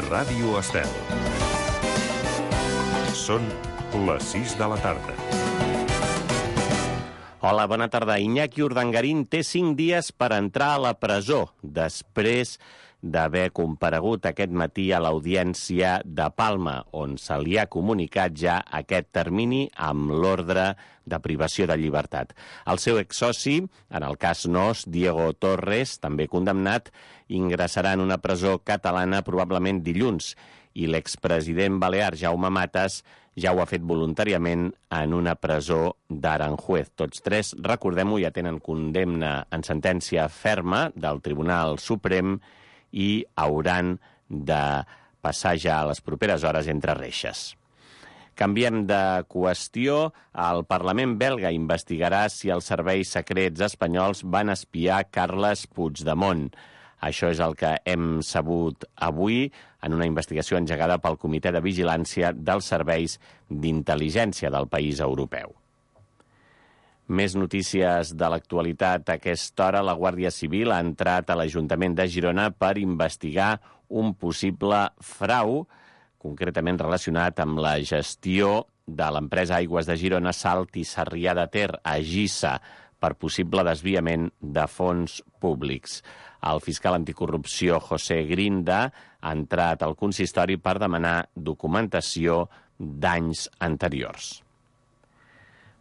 Ràdio Estel. Són les 6 de la tarda. Hola, bona tarda. Iñaki Urdangarín té 5 dies per entrar a la presó després d'haver comparegut aquest matí a l'audiència de Palma, on se li ha comunicat ja aquest termini amb l'ordre de privació de llibertat. El seu exsoci, en el cas Nos, Diego Torres, també condemnat, ingressarà en una presó catalana probablement dilluns, i l'expresident balear Jaume Matas ja ho ha fet voluntàriament en una presó d'Aranjuez. Tots tres, recordem-ho, ja tenen condemna en sentència ferma del Tribunal Suprem i hauran de passar ja a les properes hores entre reixes. Canviem de qüestió. El Parlament belga investigarà si els serveis secrets espanyols van espiar Carles Puigdemont. Això és el que hem sabut avui en una investigació engegada pel Comitè de Vigilància dels Serveis d'Intel·ligència del país europeu. Més notícies de l'actualitat. A aquesta hora, la Guàrdia Civil ha entrat a l'Ajuntament de Girona per investigar un possible frau, concretament relacionat amb la gestió de l'empresa Aigües de Girona, Salt i Sarrià de Ter, a Gissa, per possible desviament de fons públics. El fiscal anticorrupció José Grinda ha entrat al consistori per demanar documentació d'anys anteriors.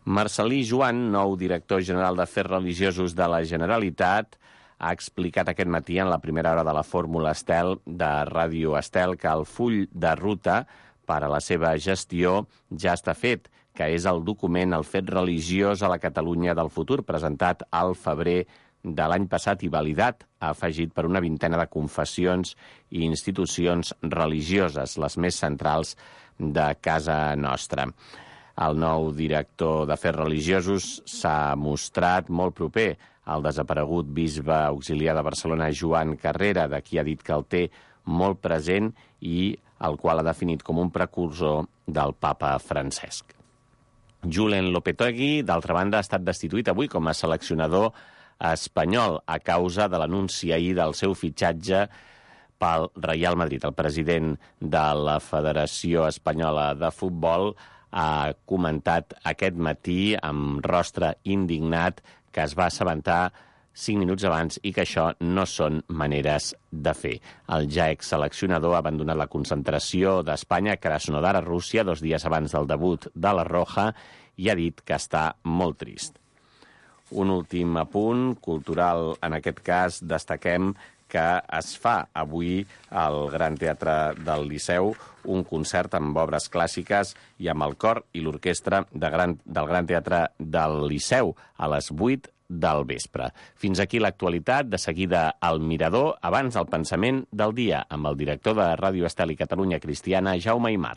Marcel·lí Joan, nou director general d'Afers Religiosos de la Generalitat, ha explicat aquest matí en la primera hora de la Fórmula Estel de Ràdio Estel que el full de ruta per a la seva gestió ja està fet, que és el document El fet religiós a la Catalunya del futur, presentat al febrer de l'any passat i validat, ha afegit, per una vintena de confessions i institucions religioses, les més centrals de casa nostra. El nou director d'Afers Religiosos s'ha mostrat molt proper al desaparegut bisbe auxiliar de Barcelona, Joan Carrera, de qui ha dit que el té molt present i el qual ha definit com un precursor del papa Francesc. Julen Lopetegui, d'altra banda, ha estat destituït avui com a seleccionador espanyol a causa de l'anunci ahir del seu fitxatge pel Real Madrid. El president de la Federació Espanyola de Futbol ha comentat aquest matí amb rostre indignat que es va assabentar 5 minuts abans i que això no són maneres de fer. El ja exseleccionador ha abandonat la concentració d'Espanya a Krasnodar, a Rússia, 2 dies abans del debut de la Roja, i ha dit que està molt trist. Un últim apunt cultural, en aquest cas destaquem que es fa avui al Gran Teatre del Liceu un concert amb obres clàssiques i amb el cor i l'orquestra del Gran Teatre del Liceu a les 8 del vespre. Fins aquí l'actualitat. De seguida al Mirador, abans el pensament del dia, amb el director de Ràdio Estel i Catalunya Cristiana, Jaume Aymar.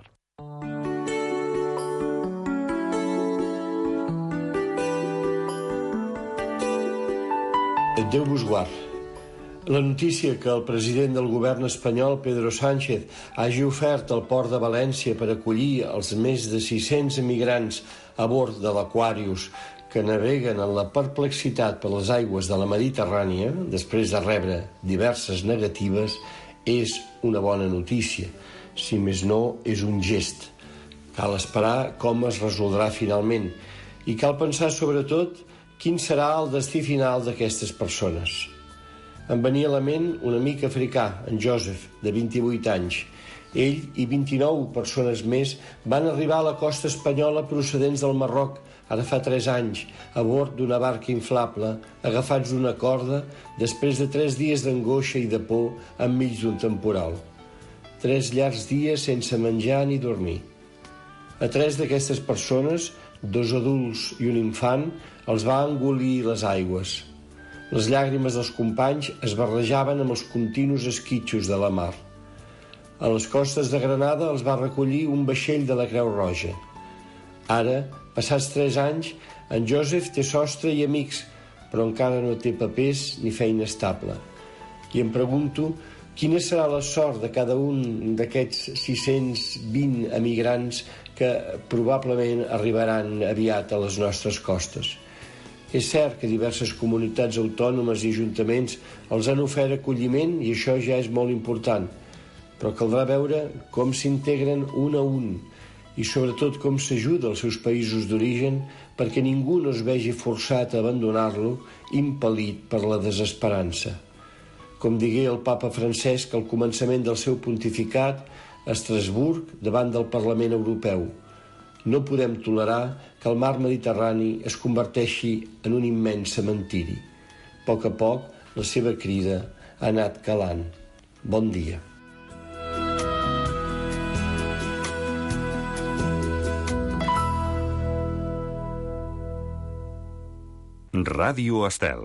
Déu vos guard. La notícia que el president del govern espanyol, Pedro Sánchez, hagi ofert el port de València per acollir els més de 600 emigrants a bord de l'Aquarius que naveguen en la perplexitat per les aigües de la Mediterrània, després de rebre diverses negatives, és una bona notícia. Si més no, és un gest. Cal esperar com es resoldrà finalment i cal pensar sobretot quin serà el destí final d'aquestes persones. Em venia a la ment un amic africà, en Joseph, de 28 anys. Ell i 29 persones més van arribar a la costa espanyola procedents del Marroc ara fa 3 anys, a bord d'una barca inflable, agafats d'una corda, després de 3 dies d'angoixa i de por enmig d'un temporal. 3 llargs dies sense menjar ni dormir. A 3 d'aquestes persones, 2 adults i un infant, els va engolir les aigües. Les llàgrimes dels companys es barrejaven amb els continus esquitxos de la mar. A les costes de Granada els va recollir un vaixell de la Creu Roja. Ara, passats 3 anys, en Joseph té sostre i amics, però encara no té papers ni feina estable. I em pregunto quina serà la sort de cada un d'aquests 620 emigrants que probablement arribaran aviat a les nostres costes. És cert que diverses comunitats autònomes i ajuntaments els han ofert acolliment i això ja és molt important, però caldrà veure com s'integren un a un i sobretot com s'ajuda als seus països d'origen perquè ningú no es vegi forçat a abandonar-lo impel·lit per la desesperança. Com digué el papa Francesc al començament del seu pontificat a Estrasburg davant del Parlament Europeu, no podem tolerar que el mar Mediterrani es converteixi en un immens cementiri. A poc, la seva crida ha anat calant. Bon dia. Ràdio Estel.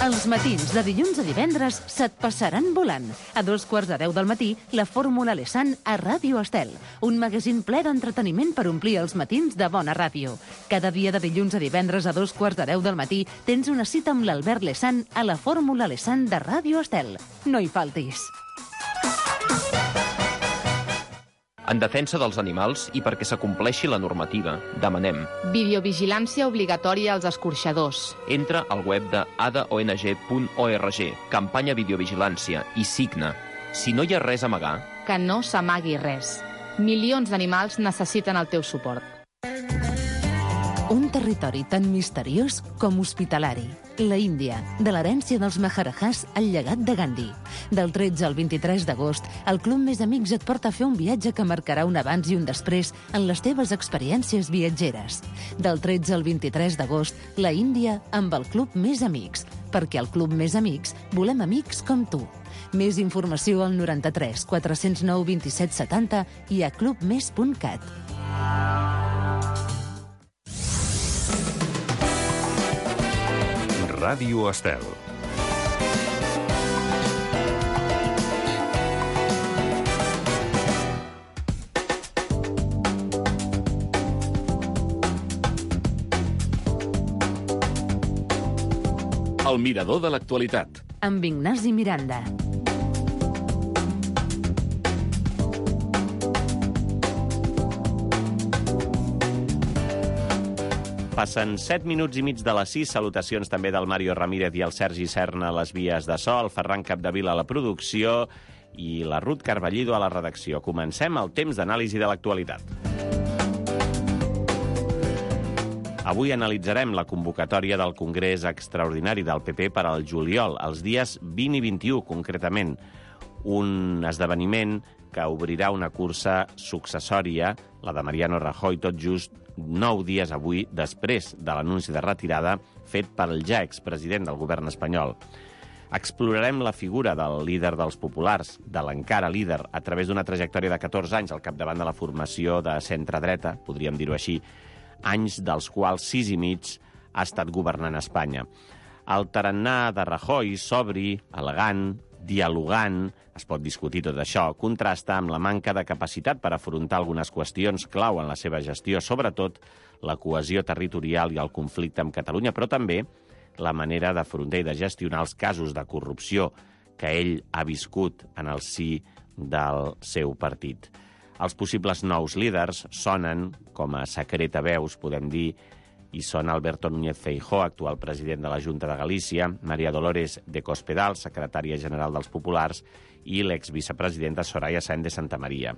Els matins de dilluns a divendres se't passaran volant. A 2:45 del matí, la Fórmula Lesan a Ràdio Estel. Un magazín ple d'entreteniment per omplir els matins de bona ràdio. Cada dia de dilluns a divendres a 2:45 del matí tens una cita amb l'Albert Lesan a la Fórmula Lesan de Ràdio Estel. No hi faltis. En defensa dels animals i perquè s'acompleixi la normativa, demanem videovigilància obligatòria als escorxadors. Entra al web de adaong.org, campanya videovigilància, i signa. Si no hi ha res a amagar, Que no s'amagui res. Milions d'animals necessiten el teu suport. Un territori tan misteriós com hospitalari. La Índia, de l'herència dels Maharajahs al llegat de Gandhi. Del 13 al 23 d'agost, el Club Més Amics et porta a fer un viatge que marcarà un abans i un després en les teves experiències viatgeres. Del 13 al 23 d'agost, la Índia amb el Club Més Amics. Perquè al Club Més Amics volem amics com tu. Més informació al 93 409 27 70 i a clubmes.cat. Ràdio Estel. El mirador de l'actualitat. Amb Ignasi Miranda. Passen 7 minuts i mig de les 6. Salutacions també del Mario Ramírez i el Sergi Serna a les vies de so, el Ferran Capdevila a la producció i la Ruth Carballido a la redacció. Comencem el temps d'anàlisi de l'actualitat. Avui analitzarem la convocatòria del Congrés Extraordinari del PP per al juliol, els dies 20 i 21, concretament. Un esdeveniment que obrirà una cursa successòria, la de Mariano Rajoy, tot just 9 dies avui després de l'anunci de retirada fet pel ja expresident del govern espanyol. Explorarem la figura del líder dels populars, de l'encara líder, a través d'una trajectòria de 14 anys al capdavant de la formació de centre-dreta, podríem dir-ho així, anys dels quals 6 i mig ha estat governant Espanya. El tarannà de Rajoy, sobri, elegant, dialogant, es pot discutir tot això, contrasta amb la manca de capacitat per afrontar algunes qüestions clau en la seva gestió, sobretot la cohesió territorial i el conflicte amb Catalunya, però també la manera d'afrontar i de gestionar els casos de corrupció que ell ha viscut en el si del seu partit. Els possibles nous líders sonen, com a secretaveus, podem dir, i són Alberto Núñez Feijóo, actual president de la Junta de Galícia, María Dolores de Cospedal, secretària general dels Populars, i l'exvicepresidenta Soraya Sáenz de Santamaría.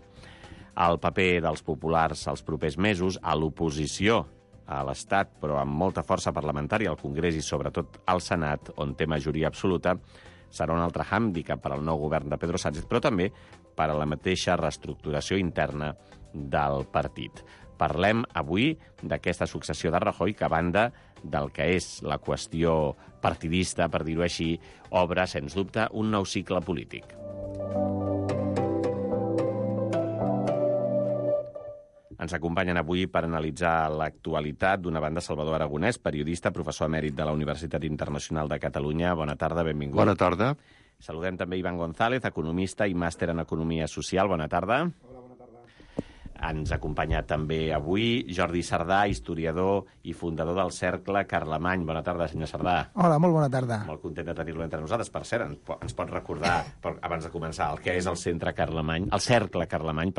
El paper dels populars als propers mesos, a l'oposició a l'Estat, però amb molta força parlamentària al Congrés i sobretot al Senat, on té majoria absoluta, serà un altre hàndicap per al nou govern de Pedro Sánchez, però també per a la mateixa reestructuració interna del partit. Parlem avui d'aquesta successió de Rajoy que, a banda del que és la qüestió partidista, per dir-ho així, obre, sens dubte, un nou cicle polític. Ens acompanyen avui per analitzar l'actualitat d'una banda Salvador Aragonès, periodista, professor emèrit de la Universitat Internacional de Catalunya. Bona tarda, benvingut. Bona tarda. Saludem també Ivan González, economista i màster en Economia Social. Bona tarda. Hola, bona tarda. Ens acompanya també avui Jordi Sardà, historiador i fundador del Cercle Carlemany. Bona tarda, senyor Sardà. Hola, molt bona tarda. Molt content de tenir-lo entre nosaltres. Per cert, ens pot recordar, abans de començar, el que és el Cercle Carlemany,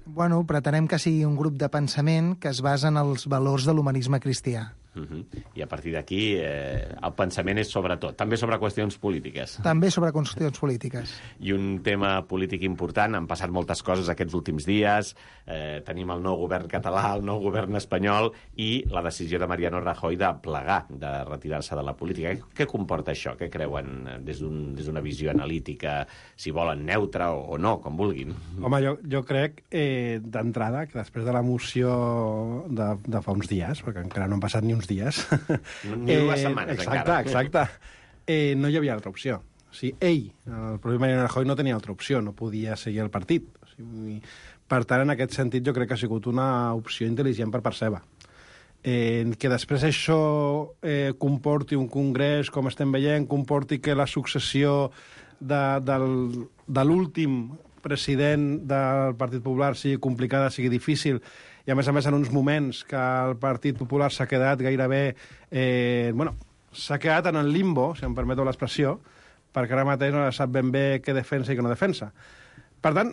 Bueno, pretenem que sigui un grup de pensament que es basa en els valors de l'humanisme cristià. I a partir d'aquí el pensament és sobre tot, també sobre qüestions polítiques. També sobre qüestions polítiques. I un tema polític important, han passat moltes coses aquests últims dies, tenim el nou govern català, el nou govern espanyol i la decisió de Mariano Rajoy de plegar, de retirar-se de la política. Què comporta això? Què creuen des d'una visió analítica, si volen neutra o no, com vulguin? Home, jo crec, d'entrada, que després de la moció de fa uns dies, perquè encara no han passat ni uns dies... Ni 2 setmanes, encara. Exacte. No hi havia altra opció. O sigui, el propi Mariano Rajoy, no tenia altra opció, no podia seguir el partit. O sigui, per tant, en aquest sentit, jo crec que ha sigut una opció intel·ligent per part seva. Que després això comporti un congrés, com estem veient, comporti que la successió de l'últim president del Partit Popular sigui complicada, sigui difícil, i a més en uns moments que el Partit Popular s'ha quedat gairebé... s'ha quedat en el limbo, si em permeteu l'expressió, perquè ara mateix no sap ben bé què defensa i què no defensa. Per tant,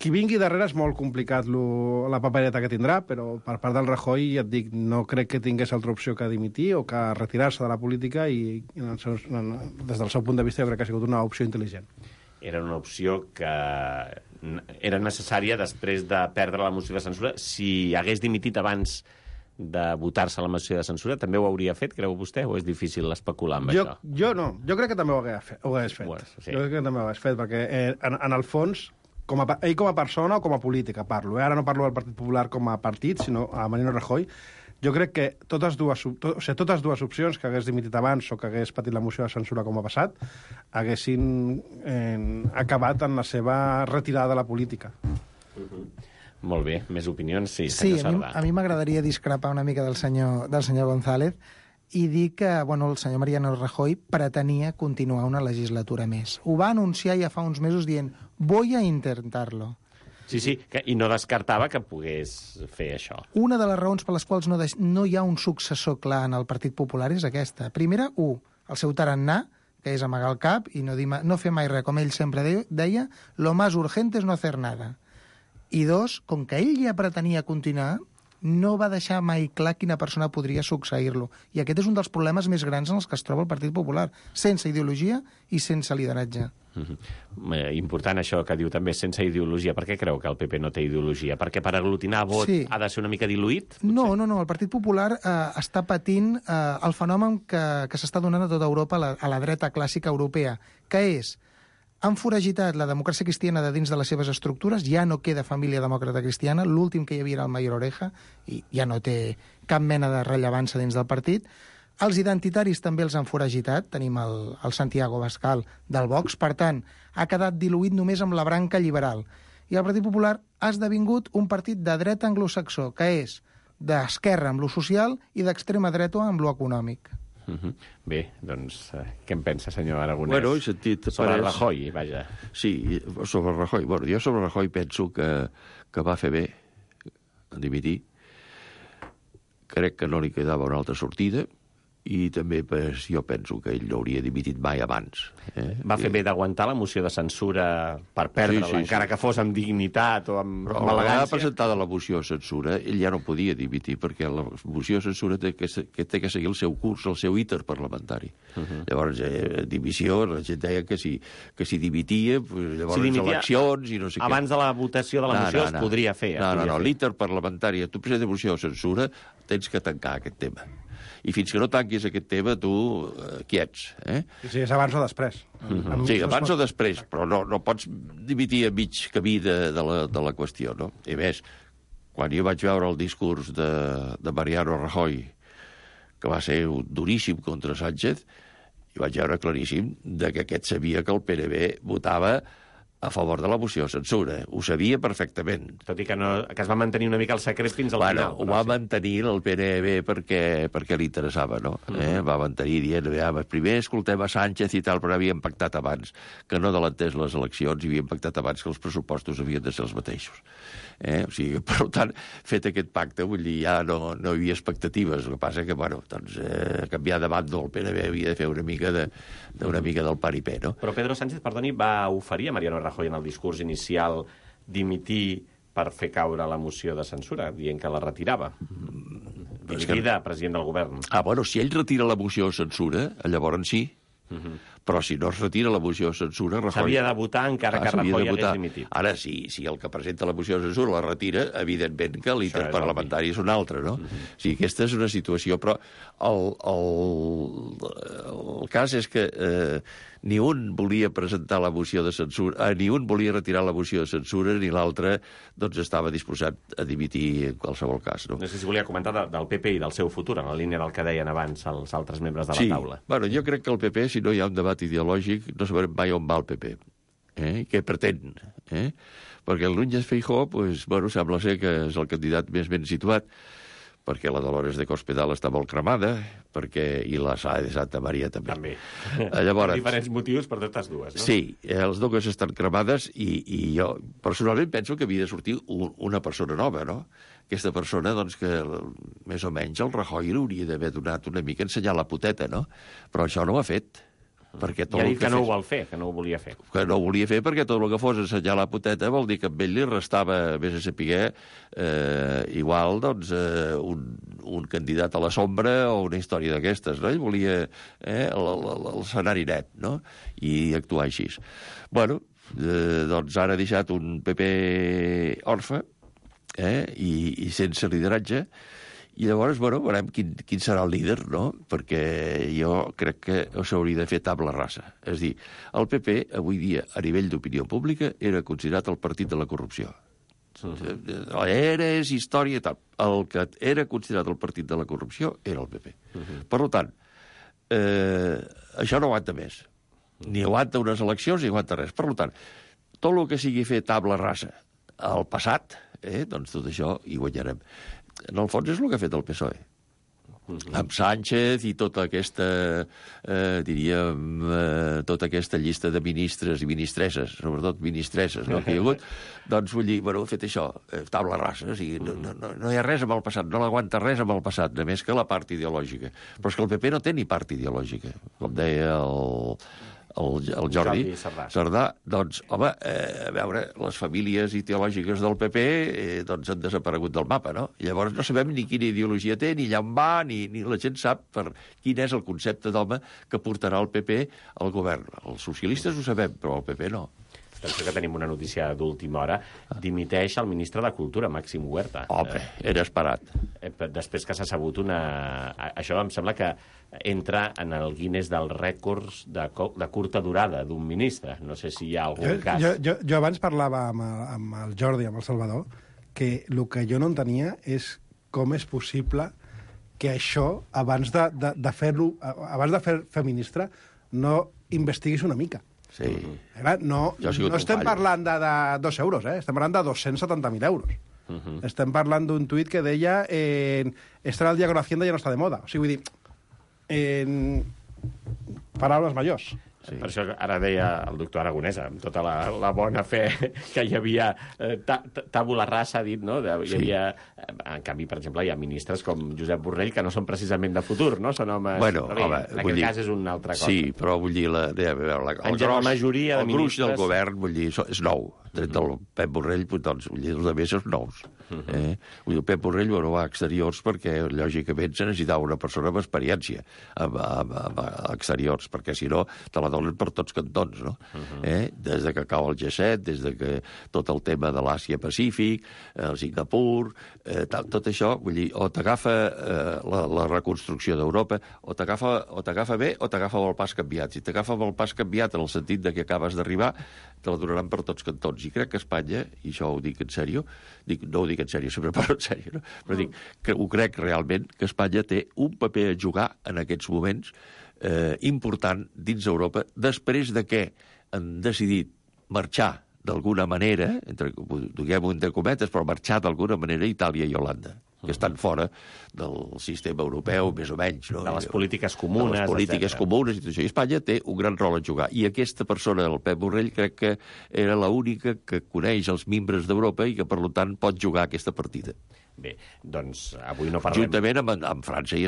qui vingui darrere és molt complicat la papereta que tindrà, però per part del Rajoy, ja et dic, no crec que tingués altra opció que dimitir o que retirar-se de la política i des del seu punt de vista jo crec que ha sigut una opció intel·ligent. Era una opció que era necessària després de perdre la moció de censura. Si hagués dimitit abans de votar-se la moció de censura, també ho hauria fet, creu vostè, o és difícil especular amb això? Jo no. Jo crec que també ho hagués fet. Bueno, sí. Jo crec que també ho hagués fet, perquè en el fons, ell com a persona o com a política parlo. Ara no parlo del Partit Popular com a partit, sinó a Mariano Rajoy. Jo crec que totes dues opcions, que hagués dimitit abans o que hagués patit la moció de censura com ha passat, haguessin acabat en la seva retirada de la política. Molt bé, més opinions? Sí, sí, a mi m'agradaria discrepar una mica del senyor González i dir que el senyor Mariano Rajoy pretenia continuar una legislatura més. Ho va anunciar ja fa uns mesos dient «voy a intentarlo». Sí, i no descartava que pogués fer això. Una de les raons per les quals no hi ha un successor clar en el Partit Popular és aquesta. Primera, el seu tarannà, que és amagar el cap i no fer mai res, com ell sempre deia, lo más urgente es no hacer nada. I 2, com que ell ja pretenia continuar, no va deixar mai clar quina persona podria succeir-lo. I aquest és un dels problemes més grans en els que es troba el Partit Popular, sense ideologia i sense lideratge. Important això que diu també, sense ideologia. Per què creu que el PP no té ideologia? Perquè per aglutinar vot ha de ser una mica diluït? No, el Partit Popular està patint el fenomen que s'està donant a tota Europa, a la dreta clàssica europea, que és han foragitat la democràcia cristiana de dins de les seves estructures, ja no queda família demòcrata cristiana, l'últim que hi havia era el Mayor Oreja, i ja no té cap mena de rellevància dins del partit. Els identitaris també els han foragitat, tenim el Santiago Abascal del Vox, per tant, ha quedat diluït només amb la branca liberal. I el Partit Popular ha esdevingut un partit de dreta anglosaxó, que és d'esquerra amb lo social i d'extrema dreta amb lo econòmic. Bé, doncs, què en pensa, senyor Aragonès? Bueno, he sentit... Sobre Rajoy, vaja. Sí, sobre Rajoy. Bueno, jo sobre Rajoy penso que va fer bé a dimitir. Crec que no li quedava una altra sortida i també jo penso que ell no hauria dimitit mai abans. Va fer bé d'aguantar la moció de censura per perdre-la, encara que fos amb dignitat o amb elegància. Però presentada la moció de censura, ell ja no podia dimitir, perquè la moció de censura té que seguir el seu curs, el seu íter parlamentari. Llavors, dimissió, la gent deia que si dimitia, llavors eleccions i no sé què. Abans de la votació de la moció es podria fer. No, l'íter parlamentari, tu presentes moció de censura, tens que tancar aquest tema. I fins que no tanquis aquest tema, tu quiets. Sí, és abans o després. Sí, abans o després, però no pots dimitir a mig camí de la qüestió, no? I més, quan jo vaig veure el discurs de Mariano Rajoy, que va ser duríssim contra Sánchez, i vaig veure claríssim que aquest sabia que el PNV votava a favor de la moció de censura. Ho sabia perfectament. Tot i que es va mantenir una mica el secret fins al final. Ho va mantenir el PNV perquè li interessava, no? Va mantenir dient, primer escoltem a Sánchez i tal, però havien pactat abans que no adelantés les eleccions i havien pactat abans que els pressupostos havien de ser els mateixos. O sigui, per tant, fet aquest pacte, vull dir, ja no hi havia expectatives. El que passa que, canviar de bando el PNV havia de fer una mica del paripé, no? Però Pedro Sánchez, perdoni, va oferir a Mariano Rajoy en el discurs inicial dimitir per fer caure la moció de censura, dient que la retirava. Dimitida, president del govern. Bueno, si ell retira la moció de censura, llavors sí. Però si no es retira la moció de censura... S'havia de votar encara que Rajoy hagués dimitit. Ara, si el que presenta la moció de censura la retira, evidentment que l'interparlamentari és un altre, no? Sí, aquesta és una situació, però el cas és que ni un volia presentar la moció de censura, ni un volia retirar la moció de censura, ni l'altre doncs estava disposat a dimitir en qualsevol cas, no? No sé si volia comentar del PP i del seu futur, en la línia del que deien abans els altres membres de la taula. Bueno, jo crec que el PP, si no hi ha un debat ideològic, no sabrem mai on va el PP. Què pretén? Perquè el Núñez Feijóo, sembla ser que és el candidat més ben situat, perquè la Dolores de Cospedal està molt cremada, i la Sáenz de Santa Maria també. Llavors, diferents motius per totes dues, no? Sí, les dues estan cremades i jo personalment penso que havia de sortir una persona nova, no? Aquesta persona, doncs, que més o menys el Rajoy hauria d'haver donat una mica ensenyar la poteta, no? Però això no ho ha fet. I ha dit que no ho vol fer, que no ho volia fer. Que no ho volia fer perquè tot el que fos ensenyar la poteta vol dir que amb ell li restava, vés a saber, igual, doncs, un candidat a la sombra o una història d'aquestes, no? Ell volia l'escenari net, no? I actuar així. Bueno, doncs ara ha deixat un PP orfe i sense lideratge. I llavors, veurem quin serà el líder, no? Perquè jo crec que s'hauria de fer tabla rasa. És a dir, el PP, avui dia, a nivell d'opinió pública, era considerat el partit de la corrupció. Era història i tal. El que era considerat el partit de la corrupció era el PP. Per tant, això no aguanta més. Ni aguanta unes eleccions ni aguanta res. Per tant, tot el que sigui fer tabla rasa al passat, doncs tot això hi guanyarem. En el fons és el que ha fet el PSOE. Amb Sánchez i tota aquesta, tota aquesta llista de ministres i ministresses, sobretot ministresses, no, que hi ha hagut, doncs vull dir, ha fet això, tabla rasa, o sigui, no hi ha res amb el passat, no l'aguanta res amb el passat, només que la part ideològica. Però és que el PP no té ni part ideològica, com deia el Jordi Cerdà, doncs, home, a veure, les famílies ideològiques del PP doncs han desaparegut del mapa, no? I llavors no sabem ni quina ideologia té, ni allà on va, ni la gent sap quin és el concepte d'home que portarà el PP al govern. Els socialistes ho sabem, però el PP no. Atenció que tenim una notícia d'última hora. Dimiteix el ministre de Cultura, Màxim Huerta. Home, era esperat. Després que s'ha sabut això em sembla que entra en el Guinness dels rècords de curta durada d'un ministre. No sé si hi ha algun cas. Jo abans parlava amb el Jordi, amb el Salvador, que el que jo no entenia és com és possible que això, abans de fer-lo, abans de fer ministre, no investiguis una mica. Sí. No estem parlant de 2 euros, estem parlant de 270.000 euros. Estem parlant d'un tuit que deia estar al día con Hacienda ya no está de moda. O sigui, vull dir, paraules majors. Sí. Per això ara deia el doctor Aragonès, amb tota la bona fe que hi havia tabula rasa, ha dit, no? Hi havia, en canvi, per exemple, hi ha ministres com Josep Borrell que no són precisament de futur, no? Són homes... Bueno, en aquest cas és una altra cosa. Sí, però vull dir, el gruix del govern, vull dir, és nou. Tret del Pep Borrell, doncs, vull dir, els altres són nous. Vull dir, el Pep Borrell no va a exteriors perquè, lògicament, se necessitava una persona amb experiència a exteriors, perquè, si no, te la donen per tots cantons, no? Des de que cau el G7, des de que tot el tema de l'Àsia-Pacífic, el Singapur, tot això, vull dir, o t'agafa la reconstrucció d'Europa, o t'agafa bé o t'agafa amb el pas canviat. Si t'agafa amb el pas canviat en el sentit de que acabes d'arribar, te la donaran per tots cantons. I crec que Espanya, i això ho dic en sèrio, no ho dic en sèrio, sempre parlo en sèrio, no? Però dic que ho crec realment, que Espanya té un paper a jugar en aquests moments important dins Europa, després de que han decidit marxar d'alguna manera, diguem-ho entre cometes, però marxar d'alguna manera Itàlia i Holanda, que estan fora del sistema europeu, més o menys. No? De les polítiques comunes, de les polítiques comunes i tot això. I Espanya té un gran rol a jugar. I aquesta persona, el Pep Borrell, crec que era l'única que coneix els membres d'Europa i que, per tant, pot jugar aquesta partida. Bé, doncs avui no parlem... Juntament amb França i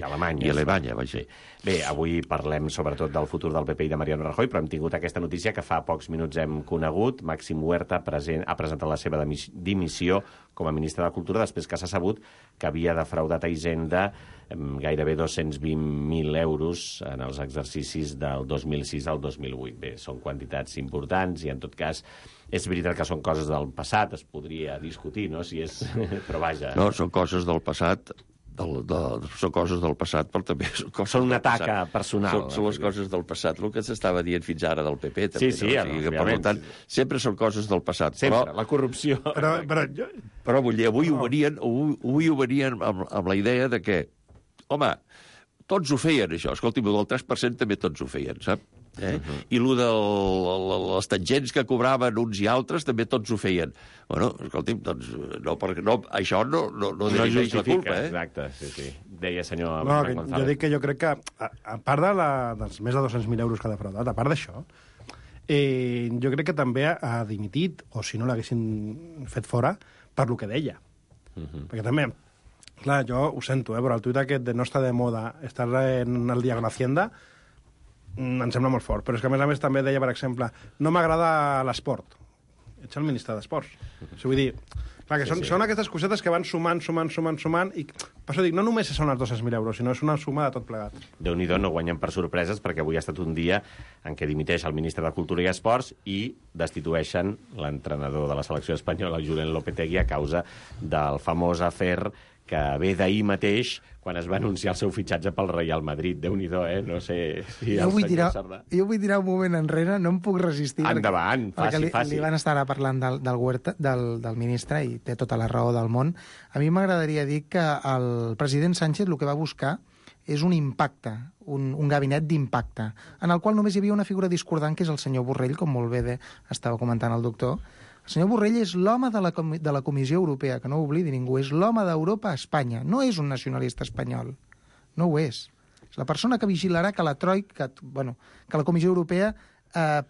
Alemanya. I Alemanya, vaja. Bé, avui parlem sobretot del futur del PP i de Mariano Rajoy, però hem tingut aquesta notícia que fa pocs minuts hem conegut. Màxim Huerta ha presentat la seva dimissió com a ministre de Cultura després que s'ha sabut que havia defraudat a Hisenda gairebé 220.000 euros en els exercicis del 2006 al 2008. Bé, són quantitats importants i, en tot cas, és veritat que són coses del passat, es podria discutir, no?, si és... però vaja... No, són coses del passat, són coses del passat, però també són una taca personal. Són les coses del passat, el que s'estava dient fins ara del PP. També, sí, no? O sigui, per tant, sempre són coses del passat. Sempre, la corrupció... Però vull dir, avui ho venien amb la idea de que, home, tots ho feien, això. Escolti'm, el 3% també tots ho feien, sap? I el de les tangents que cobraven uns i altres també tots ho feien. Bueno, escolti'm, doncs això no dirimeix la culpa, Exacte, sí. Deia senyor Frank González. Jo dic que jo crec que, a part dels més de 200.000 euros que ha defraudat, a part d'això, jo crec que també ha dimitit, o si no l'haguessin fet fora, per lo que deia. Perquè també, clar, jo ho sento, però el tuit aquest de no està de moda estar en el dia con Hacienda em sembla molt fort, però és que a més també deia, per exemple, no m'agrada l'esport. Ets el ministre d'Esports. Vull dir, clar, que són aquestes cosetes que van sumant, i per això dic, no només són els 200.000 euros, sinó és una suma de tot plegat. Déu-n'hi-do, no guanyen per sorpreses, perquè avui ha estat un dia en què dimiteix el ministre de Cultura i Esports i destitueixen l'entrenador de la selecció espanyola, Julen Lopetegui, a causa del famós afer que ve d'ahir mateix, quan es va anunciar el seu fitxatge pel Real Madrid. Déu-n'hi-do, No sé si jo vull tirar un moment enrere, no em puc resistir. Endavant, faci. Li van estar ara parlant del ministre, i té tota la raó del món. A mi m'agradaria dir que el president Sánchez el que va buscar és un impacte, un gabinet d'impacte, en el qual només hi havia una figura discordant, que és el senyor Borrell, com molt bé estava comentant el doctor. El senyor Borrell és l'home de la Comissió Europea, que no ho oblidi ningú, és l'home d'Europa a Espanya, no és un nacionalista espanyol, no ho és. És la persona que vigilarà que la Troika, que la Comissió Europea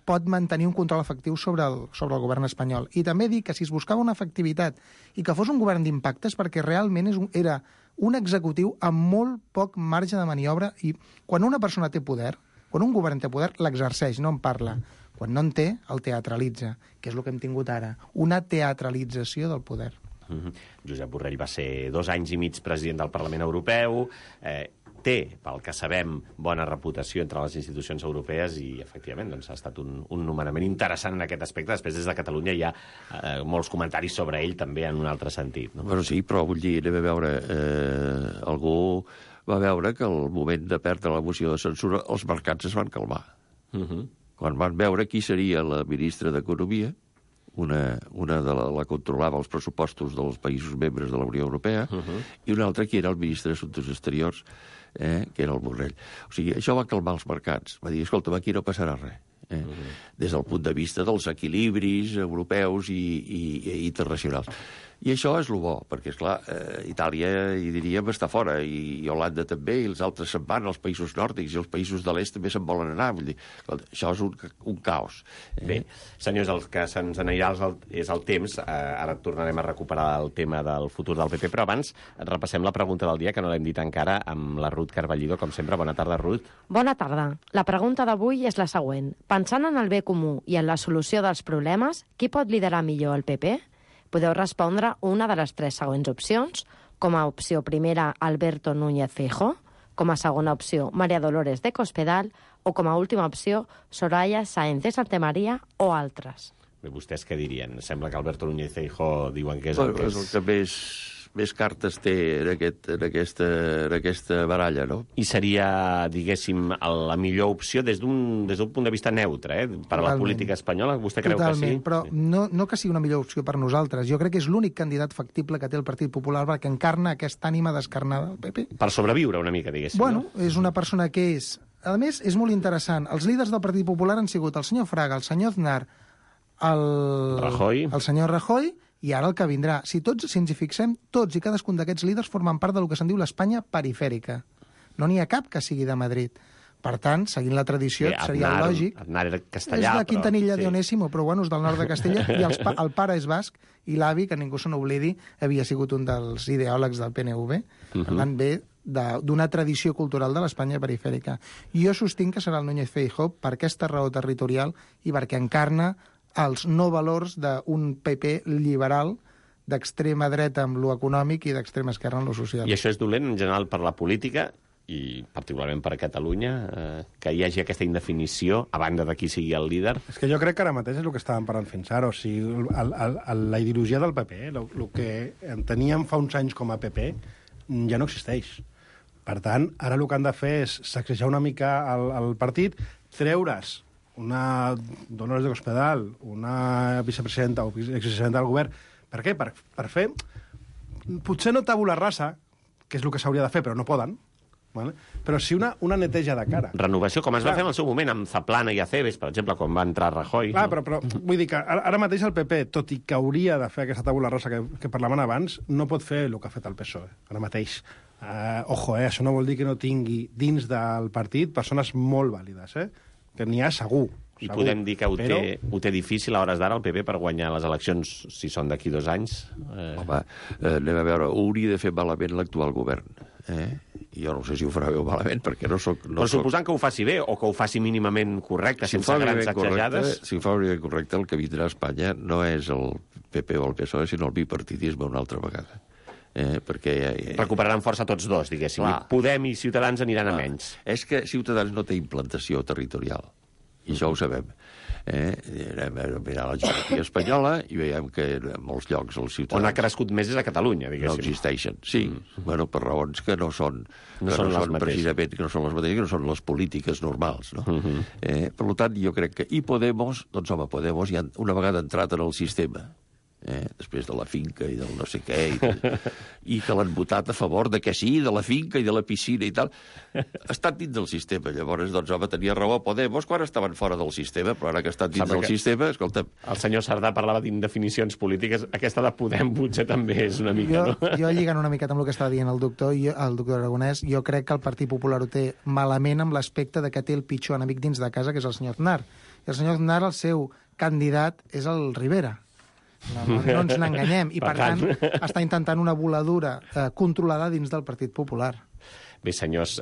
pot mantenir un control efectiu sobre el govern espanyol. I també dic que si es buscava una efectivitat i que fos un govern d'impactes, perquè realment era un executiu amb molt poc marge de maniobra, i quan una persona té poder, quan un govern té poder, l'exerceix, no en parla. Quan no en té, el teatralitza, que és el que hem tingut ara, una teatralització del poder. Josep Borrell va ser 2 anys i mig president del Parlament Europeu, té, pel que sabem, bona reputació entre les institucions europees i, efectivament, ha estat un nomenament interessant en aquest aspecte. Després, des de Catalunya, hi ha molts comentaris sobre ell també en un altre sentit. No? Bueno, sí, però vull dir, anem a veure, algú va veure que al moment de perdre la moció de censura els mercats es van calmar. Quan van veure qui seria la ministra d'Economia, una de la controlava els pressupostos dels països membres de la Unió Europea, i una altra qui era el ministre d'Assumptes Exteriors, que era el Borrell. O sigui, això va calmar els mercats. Va dir, escolta, aquí no passarà res. Des del punt de vista dels equilibris europeus i internacionals. I això és el bo, perquè, esclar, Itàlia, hi diríem, està fora, i Holanda també, i els altres se'n van, els països nòrdics, i els països de l'est també se'n volen anar. Vull dir, això és un caos. Bé, senyors, el que se'ns anirà és el temps. Ara tornarem a recuperar el tema del futur del PP, però abans repassem la pregunta del dia, que no l'hem dit encara, amb la Ruth Carballido, com sempre. Bona tarda, Ruth. Bona tarda. La pregunta d'avui és la següent. Pensant en el bé comú i en la solució dels problemes, qui pot liderar millor el PP? Podeu respondre una de les 3 següents opcions. Com a opció primera, Alberto Núñez Feijóo. Com a segona opció, María Dolores de Cospedal. O com a última opció, Soraya Sáenz de Santamaría o altres. Bé, vostès què dirien? Sembla que Alberto Núñez Feijóo diuen que és el que és... És el que més cartes té en aquesta baralla, no? I seria, diguéssim, la millor opció des d'un punt de vista neutre, per a la política espanyola? Vostè creu que sí? Però no que sigui una millor opció per nosaltres. Jo crec que és l'únic candidat factible que té el Partit Popular, perquè encarna aquesta ànima descarnada del PP. Per sobreviure una mica, diguéssim. Bueno, no? És una persona que és... A més, és molt interessant. Els líders del Partit Popular han sigut el senyor Fraga, el senyor Aznar, el senyor Rajoy, i ara el que vindrà. Si ens hi fixem, tots i cadascun d'aquests líders formen part del que se'n diu l'Espanya perifèrica. No n'hi ha cap que sigui de Madrid. Per tant, seguint la tradició, seria lògic. Aznar era castellà, és de Quintanilla de Onésimo, però bueno, és del nord de Castella, i el pare és basc, i l'avi, que ningú se n'oblidi, havia sigut un dels ideòlegs del PNV. Per tant, ve d'una tradició cultural de l'Espanya perifèrica. Jo sostinc que serà el Núñez Feijóo per aquesta raó territorial i perquè encarna els no valors d'un PP liberal d'extrema dreta amb lo econòmic i d'extrema esquerra amb lo social. I això és dolent, en general, per la política i particularment per a Catalunya, que hi hagi aquesta indefinició a banda de qui sigui el líder? És que jo crec que ara mateix és el que estàvem parlant fins ara. O sigui, la ideologia del PP, el que enteníem fa uns anys com a PP, ja no existeix. Per tant, ara el que han de fer és sacsejar una mica el partit, treure's una Dolores de Cospedal, una vicepresidenta o exvicepresidenta del govern. Per què? Per fer, potser no tabula rasa, que és el que s'hauria de fer, però no poden, vale? Però sí una neteja de cara. Renovació, com es va fer en el seu moment amb Zaplana i Acebes, per exemple, quan va entrar Rajoy. Però vull dir que ara mateix el PP, tot i que hauria de fer aquesta tabula rasa que parlaven abans, no pot fer el que ha fet el PSOE, ara mateix. Això no vol dir que no tingui dins del partit persones molt vàlides, que n'hi ha segur. I podem dir que ho té difícil a hores d'ara el PP per guanyar les eleccions, si són d'aquí 2 anys? Home, anem a veure, ho hauria de fer malament l'actual govern. Jo no sé si ho farà bé o malament, perquè no soc... Però suposant que ho faci bé, o que ho faci mínimament correcte, sense grans sacsejades... Si ho fa bé correcte, el que vindrà a Espanya no és el PP o el PSOE, sinó el bipartidisme una altra vegada. Perquè recuperaran força tots dos, diguéssim. Podem i Ciutadans aniran a menys. És que Ciutadans no té implantació territorial, i això ho sabem. Anem a mirar la geografia espanyola i veiem que en molts llocs els ciutadans... On ha crescut més és a Catalunya, diguéssim. No existeixen, sí. Per raons que no són precisament, que no són les mateixes, que no són les polítiques normals, no? Per tant, jo crec que... I Podemos, doncs home, Podemos ja una vegada entrat en el sistema, després de la finca i del no sé què, i que l'han votat a favor de que sí, de la finca i de la piscina i tal, ha estat dins del sistema. Llavors, doncs, home, tenia raó a Podemos quan estaven fora del sistema, però ara que ha estat dins del sistema, escolta'm... El senyor Sardà parlava d'indefinicions polítiques, aquesta de Podem potser també és una mica, no? Jo lligant una miqueta amb el que estava dient el doctor Aragonès, jo crec que el Partit Popular ho té malament amb l'aspecte de que té el pitjor enemic dins de casa, que és el senyor Aznar. I el senyor Aznar, el seu candidat, és el Rivera. No ens n'enganyem. I, per tant, està intentant una voladura controlada dins del Partit Popular. Bé, senyors,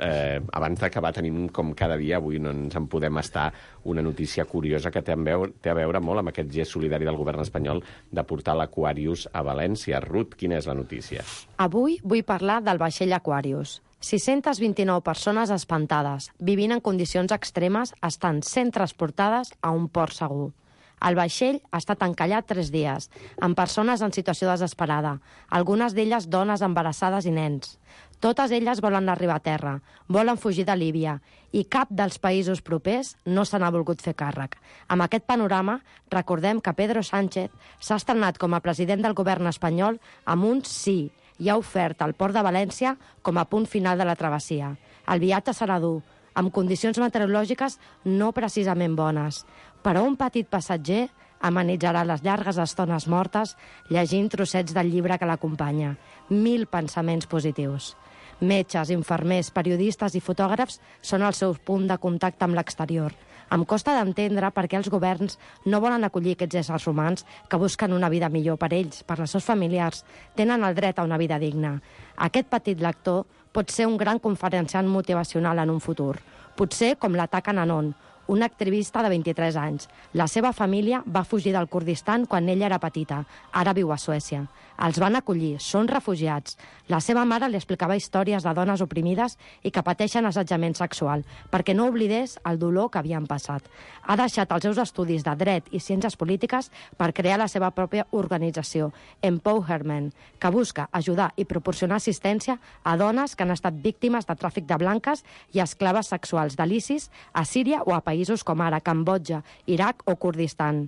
abans d'acabar tenim, com cada dia, avui no ens en podem estar, una notícia curiosa que té a veure molt amb aquest gest solidari del govern espanyol de portar l'Aquarius a València. Ruth, quina és la notícia? Avui vull parlar del vaixell Aquarius. 629 persones espantades, vivint en condicions extremes, estan sent transportades a un port segur. El vaixell ha estat encallat 3 dies, amb persones en situació desesperada, algunes d'elles dones embarassades i nens. Totes elles volen arribar a terra, volen fugir de Líbia, i cap dels països propers no se n'ha volgut fer càrrec. Amb aquest panorama, recordem que Pedro Sánchez s'ha estrenat com a president del govern espanyol amb un sí, i ha ofert el port de València com a punt final de la travessia. El viatge serà dur, amb condicions meteorològiques no precisament bones, però un petit passatger amenitzarà les llargues estones mortes llegint trossets del llibre que l'acompanya. 1000 pensaments positius. Metges, infermers, periodistes i fotògrafs són el seu punt de contacte amb l'exterior. Em costa d'entendre per què els governs no volen acollir aquests éssers humans que busquen una vida millor per ells, per les seus familiars. Tenen el dret a una vida digna. Aquest petit lector pot ser un gran conferenciant motivacional en un futur. Potser com l'Ataca Nanon, una activista de 23 anys. La seva família va fugir del Kurdistan quan ella era petita. Ara viu a Suècia. Els van acollir, són refugiats. La seva mare li explicava històries de dones oprimides i que pateixen assetjament sexual, perquè no oblidés el dolor que havien passat. Ha deixat els seus estudis de dret i ciències polítiques per crear la seva pròpia organització, Empowerment, que busca ajudar i proporcionar assistència a dones que han estat víctimes de tràfic de blanques i esclaves sexuals de l'ISIS a Síria o a països com ara Cambodja, Iraq o Kurdistan.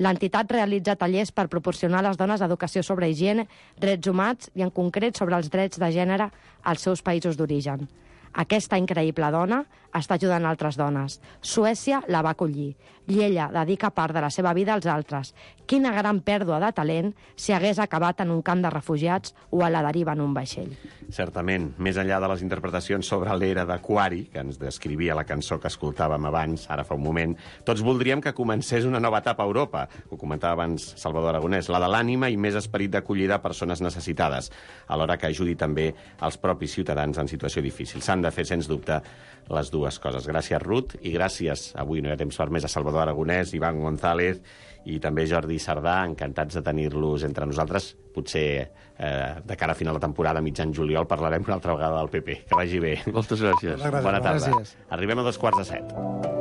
L'entitat realitza tallers per proporcionar a les dones educació sobre higiene, drets humans i, en concret, sobre els drets de gènere als seus països d'origen. Aquesta increïble dona està ajudant altres dones. Suècia la va acollir. I ella dedica part de la seva vida als altres. Quina gran pèrdua de talent si hagués acabat en un camp de refugiats o a la deriva en un vaixell. Certament, més enllà de les interpretacions sobre l'era d'Aquari, que ens descrivia la cançó que escoltàvem abans, ara fa un moment, tots voldríem que comencés una nova etapa a Europa. Ho comentava abans Salvador Aragonès, la de l'ànima i més esperit d'acollida a persones necessitades, alhora que ajudi també els propis ciutadans en situació difícil. S'han de fer, sens dubte, les dues coses. Gràcies, Ruth, i gràcies, avui no hi ha temps per més, a Salvador Aragonès, Iván González i també Jordi Sardà, encantats de tenir-los entre nosaltres. Potser de cara a final de temporada, mitjan juliol, parlarem una altra vegada del PP. Que vagi bé. Moltes gràcies. Bona tarda. Gràcies. Arribem a 2:45.